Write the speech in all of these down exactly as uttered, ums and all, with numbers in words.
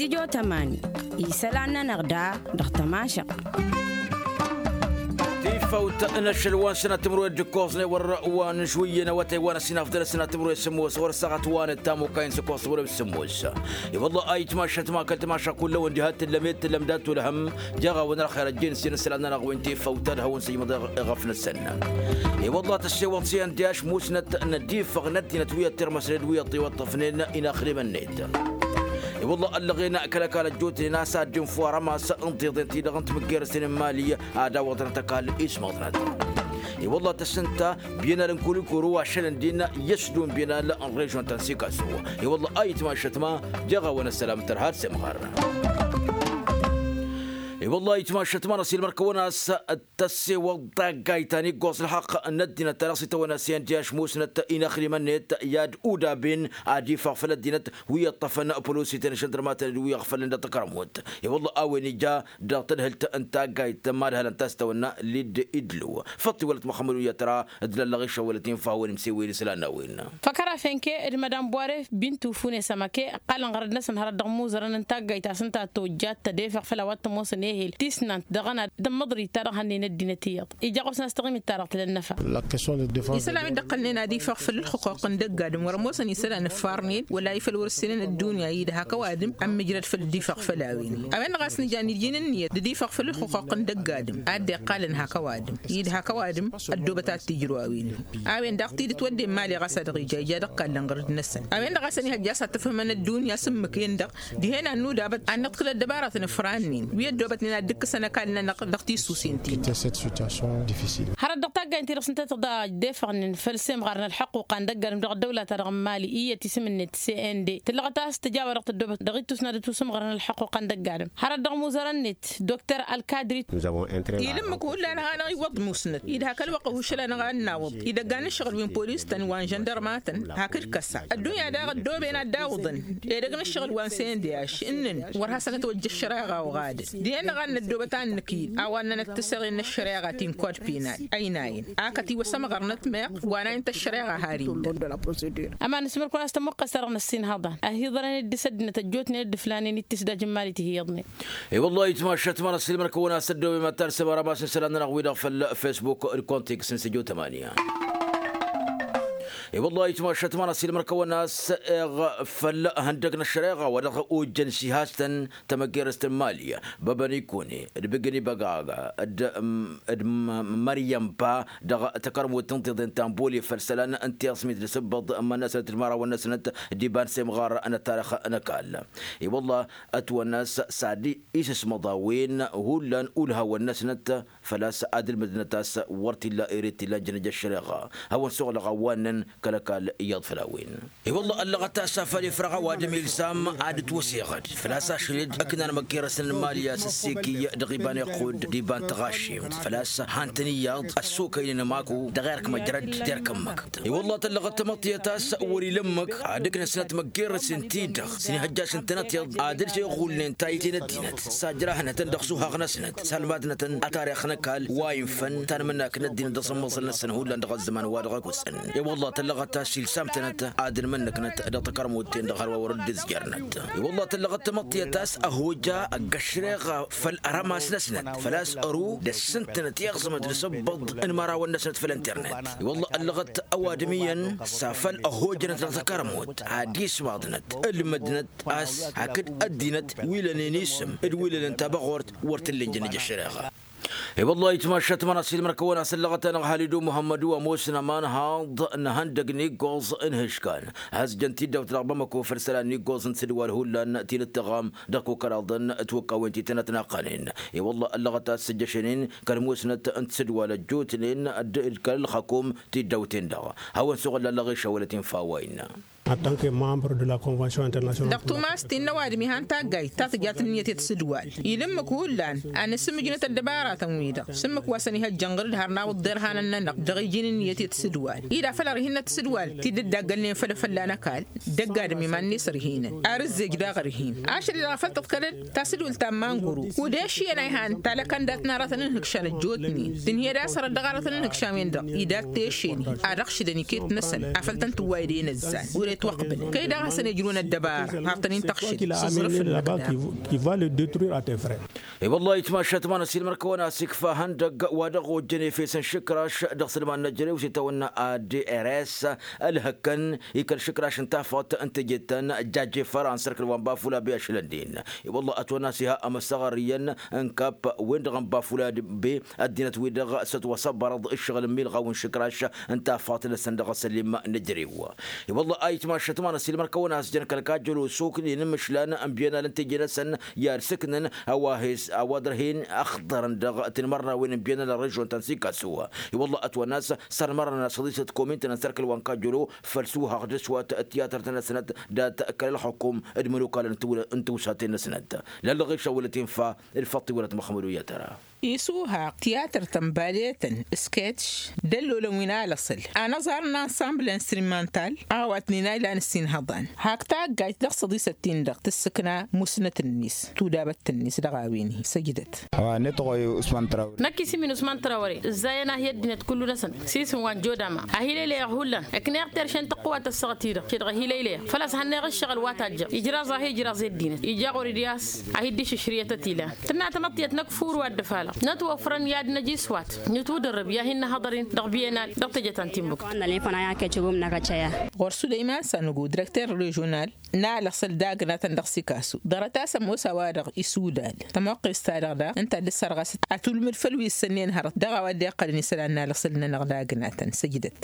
Ijotămani isălan-nănăɣ da dăɣ-tămašăɣt. Tifăwt n-ašăl wa n-sănat timǝrwen d-ǝkkoẓnen wăr wa n-išwǝyyăn awătay wa n-ăsinafdăl ăsănat timǝrwen s-sǝmmos wăr-săɣăt wa n-ăttamukay n-sǝkkoẓ timǝrwen s-sǝmmos. I-wălla a itmašăt ma kăl-timašăk kullăwăn diha t-tǝllăm i-t-tǝllăm dat-tulhăm. Jeɣ a-wen ărxer ăjjeen s-inǝssălan-nănăɣ wi n-tifăwt ad-hawăn-sǝjmăḍ eɣăf-năsăn. I-wălla tăssewăḍ s-i-ăndăyaš musnăt n-ad-ifăɣ n-ăddinăt wi ăṭṭirmăsnen d-wi ăṭṭiwăṭṭăfnen inaxdimăn-net. I-wălla ăllăɣen kăl-ăkall ăjjootnen a-s ad-dd-info arămas n-tiḍen-ti-dăɣ n-timǝggerăsen n-imali ad-awăḍnăt ăkall ismăḍnăt. I-wălla tăssǝnta biyănal n-kulikuru ašăl ǝndin i-ăsdun biyănal n-režyon ta n-sikasu. I-wălla a itmašăt ma jeɣ a-wen ăssălam tărha d-semɣar. I-wălla a itmašăt ma n-ăsilmăr-kăwăn a-s tăssewăḍ taggayt ta n-iggoẓ ălxăqq n-ăddinăt ta dăɣ-s itawănna s-i-ăndăyaš musnăt inaxdimăn-net i-ad-udaben ad-ifăɣ făll-ăddinăt wi ǝṭṭăfăn pălositen žăndărmatăn d-wi ăɣfălăn dăɣ-takărămut. I-wălla a-wen ija dăɣ-tadhǝlt n-taggayt madhălăn ta s-tawănna lid-idlu făṭṭ iwălăt măxămmăd wi ătra d-lăllăɣ išăwălăt infa a-wen imsewen isălan n-a-wen. Făkărafen ke d-madam bware bintu fune sămăke ăqqalăn ɣărăd-năsăn hărăt dăɣ-imuzărăn n-taggayt a-s ǝnta tojjat tădefăɣ făll-a-wa t-ămoosăn ehel tisnant dăɣ-ănad d-ămmăḍrit ta dăɣ-hănnen ăddinăt iyyăḍ ija ɣur-săn a-s taɣimit-ta-dăɣ tǝla ǝnnăfa. Isălan wi dd-ăqqălnen ad-ifăɣ făll-ǝlxǝquq n-dăgg-adǝm wăr-ămoosăn isălan ǝffarnen wăla ifăl wăr-ǝssǝnen ăddunya-i d-hak ăwadǝm ămmǝjrăd făll-dd-ifăɣ făll-a-wen. A-wen-dăɣ a-s nǝja n-iji n-ǝnniyăt d-ad-ifăɣ făll-ǝlxǝquq n-dăgg-adǝm a dd-iqqalăn hak ăwadǝm-i d-hak ăwadǝm ăddoobăt ad-t-ijrǝw a-wen. A-wen daɣ tidǝt wădden imali ɣas a dăɣ-ija ija dăɣ-kallăn ɣărăd-năsăn a-wen-dăɣ a-s ănihăjja a-s ad-tǝfhǝmăn ăddunya s-ǝmmǝk-en-dăɣ dihen ad-nudabăt ad-nǝḍkǝl ăddăbaratăn ǝfrannen wi ăddoobătnen ad-dd-ǝkkǝsăn ăkall-nănăɣ dăɣ-tisusen-ti. Hărăt dăɣ-taggayt-ti-dăɣ s-ǝnta tăḍa dd-efăɣnen făll-semɣar n-ălḥăqquqa n-dăgg-adǝm dăɣ-ăddăwla-ta-dăɣ n-imali iyyăt isǝm-net cnd tǝllăɣăt a-s tǝjawăr dăɣ-tăddoobăt dăɣ-ittus n-ad-ătusǝmɣărăn ălḥăqquqa n-dăgg-adǝm hărăt dăɣ-imuzărăn-net. Dokter ălkadrit. Ila ǝmmǝk hullan a hanăɣ-iwwăḍ musnăt-i d-hak ălwăqq ahušăl-anăɣ a ănnawăḍ idăgg a n-ǝššăɣǝl wi n-polis-tăn wa n-žăndărma-tăn hakd kăsa ăddunya daɣ ăddooben ad-dd-awǝḍăn edăgg n-ǝššăɣǝl wa n-sendeyaš ǝnnăn wăr hasăn-ătwăjja ăššăreɣa oɣadăn. Dihen-dăɣ a n-năddoobăt a n-nǝkil a-wa ǝnnănăt-t-săɣen n-ăššăreɣa ti n-kod penal ăynayăn akăt iwăsămɣărnăt meɣ wa n-ayǝn-t ăššăreɣa har-illa. Ămanǝsmăr-kăwăn a-s tămmuqqăs-ta-dăɣ n-ăssinhăḍan ăhiḍărăn dd-s ăddinăt ăjjootnen dd-ǝflanen i-tisdaj n-imali ti hi-iyyăḍnen. I-wăllah itmašat ma n-ăssilmăr-kăwăn a-s ăddooben ma t-ad-sămăra ma s-insan-nănăɣ-wi-dăɣ făll-facebook d-kontiks n-săjo tămanya. I-wăllah itmašat ma n-ăssilmăr-kăwăn a-s eɣ făll-ihăndăg n-ăššăreɣa wa dăɣ-ojjăn s-ihastăn tamăggerăst n-imali băbăn ikune d-bigǝn ibăgaga d-măryămpa dăɣ-takărmut n-tiḍen ta n-boli făll-isălan n-tiɣsmit d-asǝbbăḍ n-iman-năsnăt d-imărawăn-năsnăt d-iba n-semɣar n-ăttarăx n-ăkall. I-wăllah ătwănna a-s s-ad-isǝsmăḍ a-wen hullan ulhawăn-năsnăt făl-a-s ad-ǝlmǝdnăt a-s wăr t-illa ere t-illa ǝnjănăj ăššăreɣa hawăn-suɣlăɣ a-wa ǝnnăn kăl-ăkall iyyăḍ făll-a-wen. I-wăllah ăllăɣăt a-s afăl ifrăɣ ăwadǝm ilsam ad-ǝtwăseɣăd făl-a-s ašăl-dd ǝknan măggerăsăn n-imali a-s ăssekiy dăɣ-iba n-iqqud d-iba n-taɣašimt făl-a-s han-tăn iyyăḍ ăssokăynen ămaku dăɣ-erk măjrăd d-erk ǝmmǝk. I-wăllah tăllăɣăt tamăḍtiyăt a-s wăr-ila ǝmmǝk ad-ǝknăsnăt măggerăsen-ti-dăɣ s-inihăjjasăn-tănăt iyyăḍ ad-ǝlšeɣulnen tayǝte n-ăddinăt s-ajrahnătăn dăɣ-isuhaɣ-năsnăt s-almadnătăn ătarix n-ăkall wa infăn tanmǝnnak n-ăddinăt dăɣ-săn imǝẓẓǝl-năsăn hullan dăɣ-ăzzăman wa dăɣ-ăkosăn. I-wăllah tăllăɣăt a-s ilsam-tănăt ad-ǝnmǝnnǝknăt dăɣ-takărmut-ten-dăɣ hărwa wăr dd-ǝzjărnăt. I-wăllah tăllăɣăt tamăḍtiyăt a-s ăhojja ăgg-ăššăreɣa făll-arămas-năsnăt făl-a-s ăru dăr-săn-tănăt iɣẓǝmăt d-asǝbbăḍ n-imărawăn-năsnăt făll-internet. I-wăllah ăllăɣăt ăwadǝm iyyăn s-afăl ăhojjănăt dăɣ-takărmut ad-ismaḍnăt ǝlmǝdnăt a-s hakd ăddinăt wi lănen isǝm d-wi lănen tabăɣort wăr t-ǝllen jănnăj ăššăreɣa. I-wăllah itmašat ma n-asilmăr-kăwăn a-s ăllăɣăt-anăɣ halidu muhămmădu ămoosăn aman haḍ n-ihăndăg n-iggoẓ n-ihǝškan hăzjăn tiddawt dăɣ-bamăko făll-isălan n-iggoẓ n-tisǝdwal hullan ti n-ǝttăɣam dăɣ-kăwkăraḍăn tiwǝkkawen ti tănătnaqqănen. I-wăllah ăllăɣăt a-s sǝjjăšăn-in kăl-musnăt n-tisǝdwal ăjjootnen d-kăl-ălxăkum tiddawten-dăɣ hawăn-suɣǝl allăɣ išawălăt infa wa innă. Dăɣ-tumas ti n-ăwadǝm ihan taggayt ta tǝjat ǝnniyăt i-tisǝdwal ila ǝmmǝk hullan ad-nǝsǝmmǝjnăt ăddăbaratăn-wi-dăɣ s-ǝmmǝk wa săn-ihăjjăn ɣǝr-dd har n-awǝḍḍer hanăn-nănăɣ dăɣ-iji n-ǝnniyăt i-tisǝdwal-i d-afăl ărhinăt tisǝdwal ti dd-ăddaggălnen făll-efălla n-ăkall. Dăgg-adǝm iman-net ărhinăn ar ǝzzej daɣ ărhin ašăl-i-dăɣ a făl tǝḍkălăd tasǝdult ta n-manguru. Kud-eši ănayhan talăkăndat n-aratăn n-inhǝkša n-ăjjootnen tǝnhǝyăd a-s hărăt dăɣ-aratăn n-inhǝkša-wen-dăɣ idat tešen ad-ăɣšǝdăn iket-năsăn afăl tăn-tǝwwayăd i-inǝzzan. Itwăqbǝl kăy-dăɣ hasăn-ijrǝwăn ăddăbara har tăn-in-tăɣšǝl s-aẓrǝf n-ămlăkna. I-wălla-hi ǝtmašat ma n-ăssiilmăr-kăwăn-as ikfa ihăndăgg wa dăɣ-ojjăn efes n-išǝkraš dăɣ-sǝlman n-ejărew s-itawănna adrs ălhăkkăn ikăl išǝkraš n-tafăɣt n-teje-tăn. Jajefăr ansărkǝl wa n-bafula bi ašlăn-nin. I-wălla ătwănn'-as iha amăsăɣăr iyyăn n-kap-wen-dăɣ n-bafula bi ăddinăt-wi-dăɣ s-ătwăsăbbărăḍ ǝššăɣǝl n-milɣaw n-išǝkraš n-tafăɣt-năsăn dăɣ-asălim n-ejărew. I-wălla-hi ayǝtmašat ma n-ăssiilmăr-kăwăn-as jăn kăl-kajjălo soknen n-imǝšlan n-bienal n-teje-năsăn i-ad-sǝknăn a-wa hes a-wa dăr-hin ăxḍărăn dăɣ-tinmărnawen n-bienal n-režion ta n-sikasu. I-wălla-hi ătwănn'-as sărmărăn asăḍisăt komin-tăn n-sărkăl wa n-kajjălo făll-suhaɣ d-aswat tiyatăr-tăn-năsnăt dat-kăl-ălxukum d-imănokal n-tawla n-tawsaten-năsnăt. Lăllăɣ išăwălăt infa. Ǝlfăṭṭ iwălăt măxmăd u-yatăra. Isuhaɣ tiyatăr-tăn baletăn sketch d-ăllolăn wi n-alăṣăl anăẓar n-ansambl instrumental a-wa t-nina ilan ǝssin hăḍan hak taggayt dăɣ-săḍisăt-tin-dăɣ tǝssǝkna musnăt-net tudabăt-net dăɣ-a-wen-hi săjdăt. Năkk isǝm-in usman trawre ǝzzayăn-ahi ăddinăt kullu-năsăn s-isǝm wa n-jodama. Ahilăylăyăɣ hullan ǝkneɣ terše n-tăqqǝwat ăssaɣăt-i-dăɣ šedăɣ ahilăylăyăɣ făl-a-s hannăyăɣ ǝššăɣǝl wa tajjăɣ ijraẓ-ahi ijraẓ i-ăddinăt ija ɣur-dd i-a-s ad-hi-dd-išǝšrǝyăt ătilan tǝnna tamăḍt tiyyăt năkk furu ad-dd-ăfalăɣ nătwăfrăn i-ad-năj iswat nǝtwǝdărrǝb i-ad-hin-năhăḍăr-in dăɣ-biyenal dăɣ-teje ta n-timbuk. Ɣur-s sulăyman sanugu direkter režional n-alăṣăl d-agnatăn dăɣ-sikasu ḍarăt-as ămoos a-wa-dăɣ isudal tămoqqes-ta-dăɣ daɣ ǝnta a dd-ăssărɣăsăt atulmǝd făll-wi ǝssănnen hărăt dăɣ-a-wa dd-iqqălăn isălan n-alăṣăl-nănăɣ d-agnatăn săjdăt.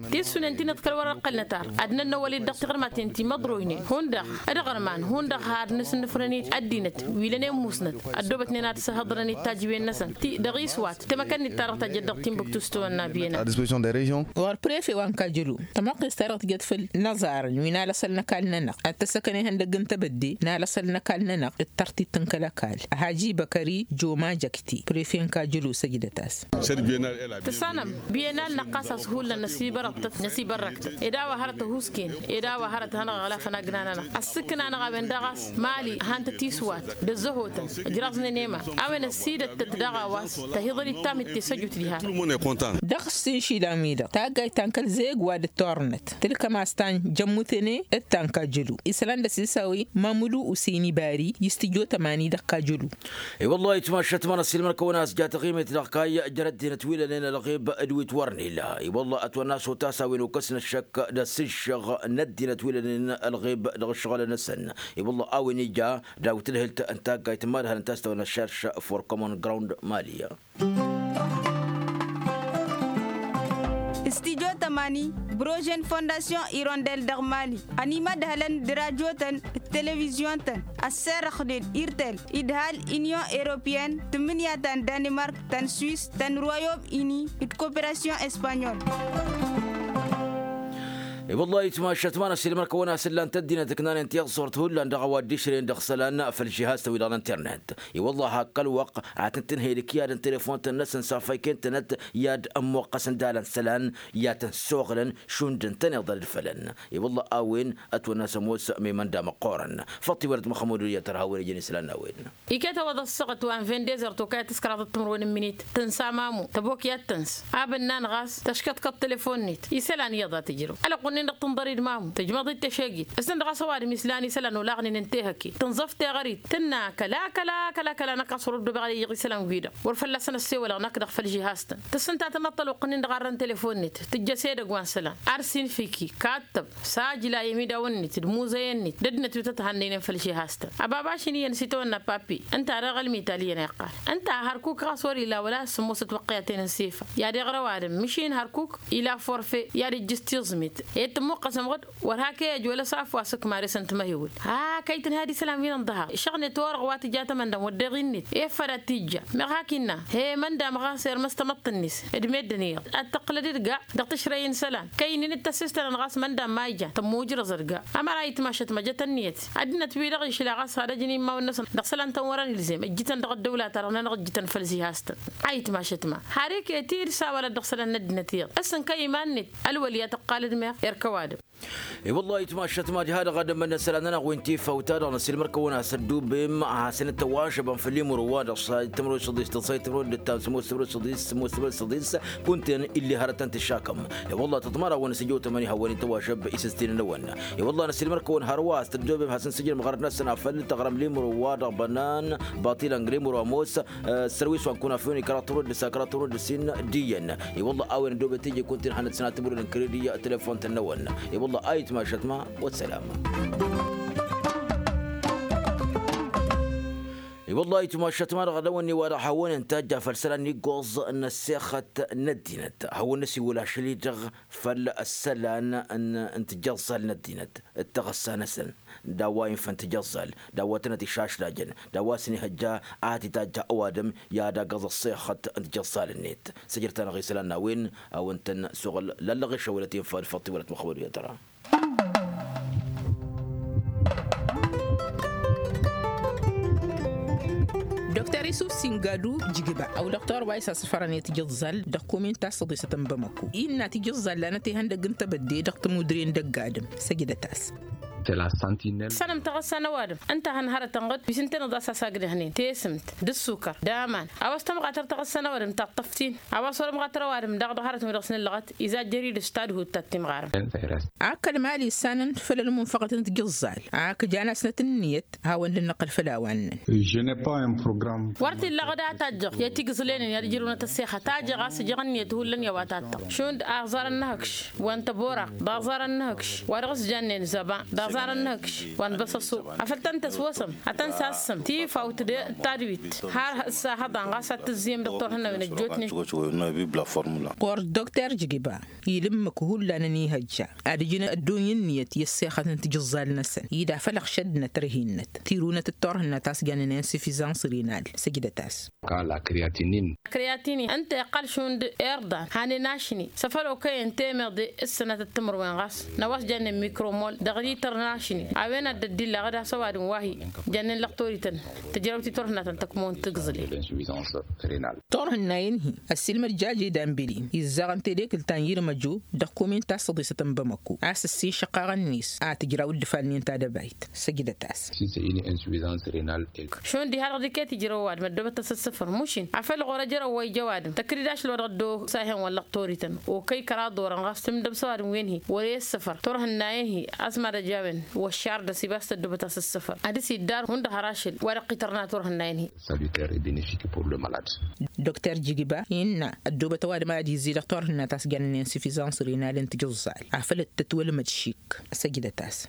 Tissunen ti n-iḍkăl wăr-ăqqălnăt ar ad-nănnăwăl-dd dăɣ-tiɣărmaten ti măḍroynen hundăɣ d-aɣărman hundăɣ har nǝsǝnnǝfrăn-dd ăddinăt wi lănen musnăt ăddoobătnen ad-săhăḍrăn-dd tajǝwen-năsăn ti dăɣ-iswat temăkănnit-ta-dăɣ tajjăt dăɣ-timbuktu s-tawănna biyănăɣ. Ɣur-prefe wa n-kajjălu tămoqqes-ta-dăɣ tijăt făll-inăẓarăn wi n-alăṣăl n-ăkall-nănăɣ ad-t-ăssăkăn ihăndăgg n-tebădde n-alăṣăl n-ăkall-nănăɣ d-tărtit n-kăl-ăkall. Haji băkări joma jăkti prefe n-kajjălu săjdăt-as. Tǝssanăm biyenal-năɣ ɣas a-s hullan năsibărăɣtăt năsibărrăktăt ed a-wa hărăt ăhuusken ed a-wa hărăt hanăɣ-ăɣlafăn agna-nănăɣ ăssǝkna-năɣ a-wen daɣ a-s mali han-tăt iswat d-ăzzăhotăn ǝjraẓnen i-iman a-wen ăssiidăttăt daɣ a-wa s-tăhiḍăn-dd tamǝtte s-ăjut diha. Dăɣ-s inšilan-wi-dăɣ taggayt ta n-kăl-zeg wa dd-tornăt tǝlkăm a-s ta n-jămmutene d-ta n-kajjălu isălan d-ăsisawi mamǝdu useni bari i-s tijot ămani dăɣ-kajjălu. I-wăllah itmašat ma n-ăssiilmăn-kăwăn a-s ja taɣimet dăɣ-kayy jer-ăddinăt wi lănen ălɣib d-wi t-wărăn illa. I-wăllah ătwănna a-s otas a-wen okăsnăt šăkk d-asǝžžăɣ n-ăddinăt wi lănen ălɣib dăɣ-ǝššăɣǝl-năsăn. I-wăllah a-wen ija dawit ǝlhǝlt n-taggayt n-imadhălăn ta s-tawănna šărš for common ground mali. Studyo tămani brožen fondasyon irondel dăɣ-mali ănimădhălăn d-rajotăn d-televizyon-tăn ăsserăxnen irtel idhal inyon europeyăn tǝmmǝnǝya ta n-danimark ta n-swis ta n-royom ini d-koperasyon espanyol. I-wăllah itmašat ma n-ăssiilmăr-kăwăn a-s ǝllan-t ăddinăt ǝknanen tiɣsurt hullan dăɣ-a-wa dd-išrăyăn dăɣ-isălan făll-žihaz-tăn wi-dăɣ n-internet. I-wăllah hak kăl-wăqq ad-tăn-tǝnhăy d-ǝkyad n-telefon-tăn-năsăn s-afăyken-tănăt i-ad-ămmuqqăsăn d-alăn isălan i-ad-tăn-suɣǝlăn šund ǝntăneḍ ad-ǝdfălăn. I-wăllah a-wen ătwănna a-s ămoos mimănda măqqoorăn. Făṭṭ-i wăr-dd măxămud wi ătrăha a-wen ijăn isălan n-a-wen. Iket a-wa d-ăṣṣăɣăt wa n-vendez ăr tokayăt s-kăraḍăt timǝrwen n-imǝnit tǝnsa mamu tăbok i-ad-tǝns. Abǝnnan ɣas tăškăḍkăḍ telefon-net isălan iyyăḍ a tǝjrăw ălwăqq-nin-dăɣ tǝnḍăr-dd mamu tǝjmăḍ-dd tăšegit. S-ǝnn-dăɣ a-s ăwadǝm islan isălan olaɣnen ǝnta ehăkke tǝnẓăf teɣărit tǝnna akăl akăl akăl akăl a năkk ɣas wăr-ăddobeɣ ad-iyyăɣ isălan-wi-dăɣ wăr fălla-săn ăssewălăɣ năkk dăɣ-făll-žihaz-tăn. Tǝssǝnta tănăḍt ălwăqq-nin-dăɣ arrăn telefon-net tǝjjăs edăgg wa n-isălan ar sinfiki kattăb sajla i-ămidawăn-net d-imuzăyăn-net d-ăddinăt wi tăt-hannăynen făll-žihaz-tăn. Ăbabaš-in iyyăn s-itawănna papi ǝnta ad-aɣălmit alǝyyăn a iqqal ǝnta hărkuk ɣas wăr-ila wăla a ăssǝmmosăt wăqqiyăten n-sefa i-ad-iɣră ăwadǝm măšin hărkuk ila forfe i-ad-ijjǝs tiẓmit ed tǝmmuqqăsăm ɣǝd wăr hak'-e ăj wăla s-afwas ǝkmar-e s-ǝntmăhewăl. Hak a itǝnhad isălan wi n-inḍăhăɣ išăɣnet orăɣ wa tǝja tamăndam wădden iɣinnet efăd ad-t-ijja meɣ hak innă he măndam ɣas irmăs tamăḍt-net d-meddǝn iyyăḍ ad-tăqqǝlăd d-ga dăɣ-tǝšrăy n-isălan kăynin d-tăssistănăn ɣas măndam ma ijan tămmujrăẓăd ga. Ămăra itmašăt măjăt ănniyăt ăddinăt-wi-dăɣ išla ɣas ad-ăjǝn imawăn-năsăn dăɣ-isălan-tăn wăr-ănilzem ǝjjǝtăn dăɣ-ăddăwla-ta-dăɣ-nănăɣ ǝjjǝtăn făll-zihastăn. A itmašăt ma har iket-i d-sawalăt dăɣ-isălan n-ăddinăt iyyăḍ ǝssǝnka iman-net ălwăl i-ad-tǝqqalăd meɣ erk ăwadǝm. I-wăllah itmašat mad-ha-dăɣ ad-ămmănnăsăl ad-nănăɣ wi n-tifawt-ta-dăɣ năsilmăr-kăwăn a-s ăddubem a hasăn-ăttăwažăbăn făll-imru-wa-dăɣ s-tămrăwăt săḍis tăẓẓay tămrăwăt d-ǝttam sămoos tămrăwăt săḍis sămoos tămrăwăt săḍis. Kunta-en illi hărăt tăn-tǝššakăm. I-wăllah tăḍmar-awăn s-ǝjăw tămăni hawăn-in-tăwažăb isǝstinăn-năwăn. I-wăllah năsilmăr-kăwăn hărwa a-s tăddobem hasăn-sǝjrăm ɣărăt-năsăn afăl tăɣrăm limru-wa-dăɣ bănan baṭilăn g-limru ămoos. Ăssărwis wa n-kunafyon i-kăraḍ tămrăwăt d-ǝssa kăraḍ tămrăwăt d-ǝssin d-iyyăn. I-wălla a-wen ăddobet teje kunta-in hannăt sănatămrăwăt n-krediyya telefon-tăn-năwăn. I-wălla a itmašat ma wăt sălam. I-wălla a itmašat ma dăɣ-dăwănni wa dăɣ-hawăn-in-tajja făll-isălan n-iggoẓ n-ăssexăt n-ăddinăt hawăn-năsiwǝl ašăl-i-dăɣ făll-isălan n-tijăẓẓal n-ăddinăt d-taɣǝssa-năsăn. D-a-wa infăn tijăẓẓal d-a-wa tănăt išašlajăn d-a-wa s-inihăjja ad-t-itajja ăwadǝm i-ad-agăẓ ăṣṣixăt n-tijăẓẓal-net. Săjrăt-anăɣ isălan n-a-wen a-wa ǝntăn s-oɣǝl lallăɣ išăwălăt infa d-făṭṭi wălăt măxmăd uyătăra. Dr isuf singadu jigba ăw dr wa isasfărăn i-tijǝẓẓal dăɣ-kumin ta s-săḍisăt n-bamăku innă tijǝẓẓal lanăt ihăndăg n-tebădde dăɣ-tămudre n-dăgg-adǝm. Săjdăt-as. Tănăm taɣăssa n-ăwadǝm ǝnta a hăn hărătăn ɣǝd wi s-ǝntăneḍ a-s asagdăhnen tesǝmt d-ǝssukăr d-aman. A-wa s-tămɣatăr taɣăssa n-ăwadǝm taṭṭăf-t-in a-wa s-wăr-ămɣatăr ăwadǝm daɣ dăɣ-hărătăn wi dăɣ-s nǝllăɣăt izajjăr-i d-s tadhut ta t-imɣarăn. Ak kăl-mali ǝssanăn făll-ălmunfăɣăt n-tijǝẓẓal ak jan-asnăt ǝnniyăt hawăn-dd-năqqǝl făll-a-wa ǝnnăn. Wăr t-illa ɣǝd a tajjăɣ i-tigǝẓlenen i-ad-ǝjrǝwnăt ăssexăt a jeɣ a-s ǝjăɣ ǝnniyăt hullan i-a-wa tattăɣ šund aẓar ănnăhăkš wa n-tăboraq d-aẓar ănnăhăkš wa dăɣ-s jannen zăba d-aẓar ănnăhăkš wa n-băsăsu. Afăl tăn-tăswăsăm ad-tăn-sassăm tifawt d-tadwit har s-ahăḍan ɣas ad-tǝzzǝyăm dăɣ-turhǝnnawen ăjjootnen. Ɣur-dd dr jigiba ila ǝmmǝk hullan ănihăjja ad-ǝjǝn ădduny ǝnniyăt i-ăssexăt n-tijǝẓẓal-năsăn ida făl ăɣšădnăt ărhinăt tirunăt d-turhǝnna ta s-jannen insufizans rinal. Săjdăt-as. Kăla kriyatinin. Kriyatinin ǝnta iqqal šund irḍan hanen ašni s-afăl okăyăn temeḍe s-sănatăt timǝrwen ɣas n-a-wa s-jannen mikromol dăɣ-lităr n-ašni a-wen ad-dd-illa ɣǝd a-s ăwadǝm wa hi-jannen lăqtorităn tǝjrăwt i-turhǝnna ta n-tăkmon tǝgẓǝlen. Turhǝnna-in-hi ăssiilmăd jaje dambili izzaɣăn tedekǝlt ta n-yirmăju dăɣ-kumin ta s-săḍisăt n-bamăku a-s ǝssin šăqqaɣăn-net a tǝjraw ǝddǝfalnen tadăbayt. Săjdăt-as. Šund iha-dăɣ d-iket ijrăw ăwadǝm ăddoobăt-as ǝssǝfăr mušin afăl ɣur-ejăr ăwwăyja ăwadǝm tăkrid ašăl wa dăɣ-ăddo s-a ihen wăllăɣ torităn okăy kăraḍ orăn ɣas tǝmdăb s-ăwadǝm wen-hi wăr-e ǝssǝfăr turhǝnnayen-hi. Ăsmad ăjawăn wăššar dăɣ-s ibas tăddoobăt-as ǝssǝfăr ad-dăɣ-s iddar hundăɣ har ašăl wa dăɣ-t-itărna turhǝnnayen-hi. Salutaire et bénéfique pour le malade. Dr jigiba innă ăddoobăt ăwadǝm ad-izzi dăɣ-turhǝnna ta s-jannen insufizans rinal n-tijǝẓẓal afăl dd-tătwălmăd šik. Săjdăt-as.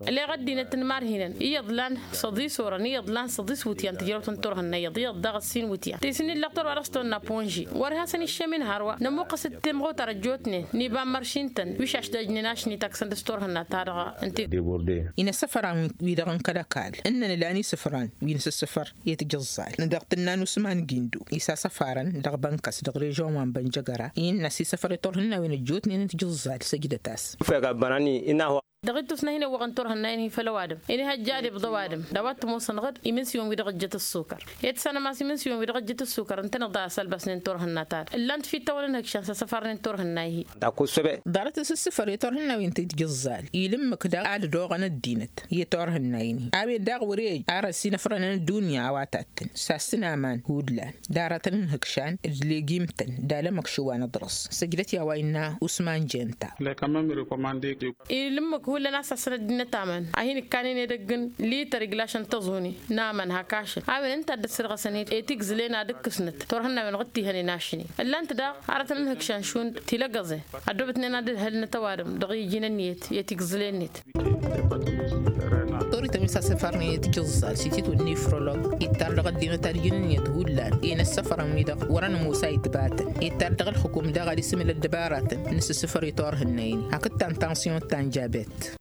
Ăleɣ ăddinăt n-imarhinăn iyyăḍ lan săḍis orăn iyyăḍ lan săḍis wǝtyan tǝjrăwt n-turhǝnna iyyăḍ iyyăḍ daɣ ǝssin wǝtyan ti s-in-illa ăktor wa dăɣ-s tonna ponži wăr-e hasăn-iššămin hărwa nămuqqăs d-timɣutar ăjjootnen n-iba n-măršin-tăn wi šašdajnen ašni taksăn dăɣ-s turhǝnna-ta-dăɣ. Ǝnta. Inăssăfăran-wi-dăɣ n-kăl-ăkall ǝnnăn ǝlan isǝfran wi n-asǝssǝfăr i-tijǝẓẓal dăɣ-tǝnna n-usman gindu isasăfarăn dăɣ-bănkăs dăɣ-režion wa n-bănjăgăra innă ăsisăfăr i-turhǝnnawen ăjjootnen n-tijǝẓẓal. Săjdăt-as. Dăɣ-ittus n-ad-hin-ewwăɣăn turhǝnnayen-hi făll-ăwadǝm inihăjja ad-ibḍa ăwadǝm d-a-wa t-ămoosăn ɣǝd imǝnsǝyun-wi-dăɣ ăjjăt ăssukăr i-ad-sănăm a-s imǝnsǝyun-wi-dăɣ ăjjăt ăssukăr ǝntăneḍ a-s ălbasnen turhǝnna-ta-dăɣ ǝllan-t fi tawăl ǝnhǝkšan s-asăfarnen turhǝnna-hi. Ḍarăt asǝssǝfăr i-turhǝnnawen ti tijǝẓẓal ila ǝmmǝk daɣ ad-dd-oɣăn ăddinăt i-turhǝnna-in-hi a-wen daɣ wăr-e ăj ar ăsinăfrănăn ăddunya a-wa tattăn sassăn aman hullan d-aratăn n-ihǝkšan d-legim-tăn d-alămăkšǝw wa n-aḍrăs. Săjdăt i-a-wa innă usman jenta. Ila ǝmmǝk hullan a-s sassăn ăddinăt aman a hin-ǝkkanen edăgg n-lităr iglašăn tăẓuni n-aman hak ašăl a-wen ǝnta a dd-ăssărɣăsăn i-tigǝzlen ad-ǝkkǝsnăt turhǝnnawen ɣǝd-t-ihănen ašni ǝllan-t daɣ aratăn n-ihǝkšan šund tilăggăẓen ăddoobătnen ad-ǝdhǝlnăt ăwadǝm dăɣ-iji n-ǝnniyăt i-tigǝzlen-net. Torităn wi s-asǝfărnen i-tijǝẓẓal s-ititwǝl nifrolog ittar dăɣ-ăddinăt ad-ǝjǝn ǝnniyăt hullan i-inăssăfărăn-wi-dăɣ wărăn ămoos a itbatăn ittar dăɣ-ǝlxǝkum daɣ ad-isǝmǝl ăddăbaratăn n-asǝssǝfăr i-turhǝnna-in hakd ta n-tansiyon ta n-jabet.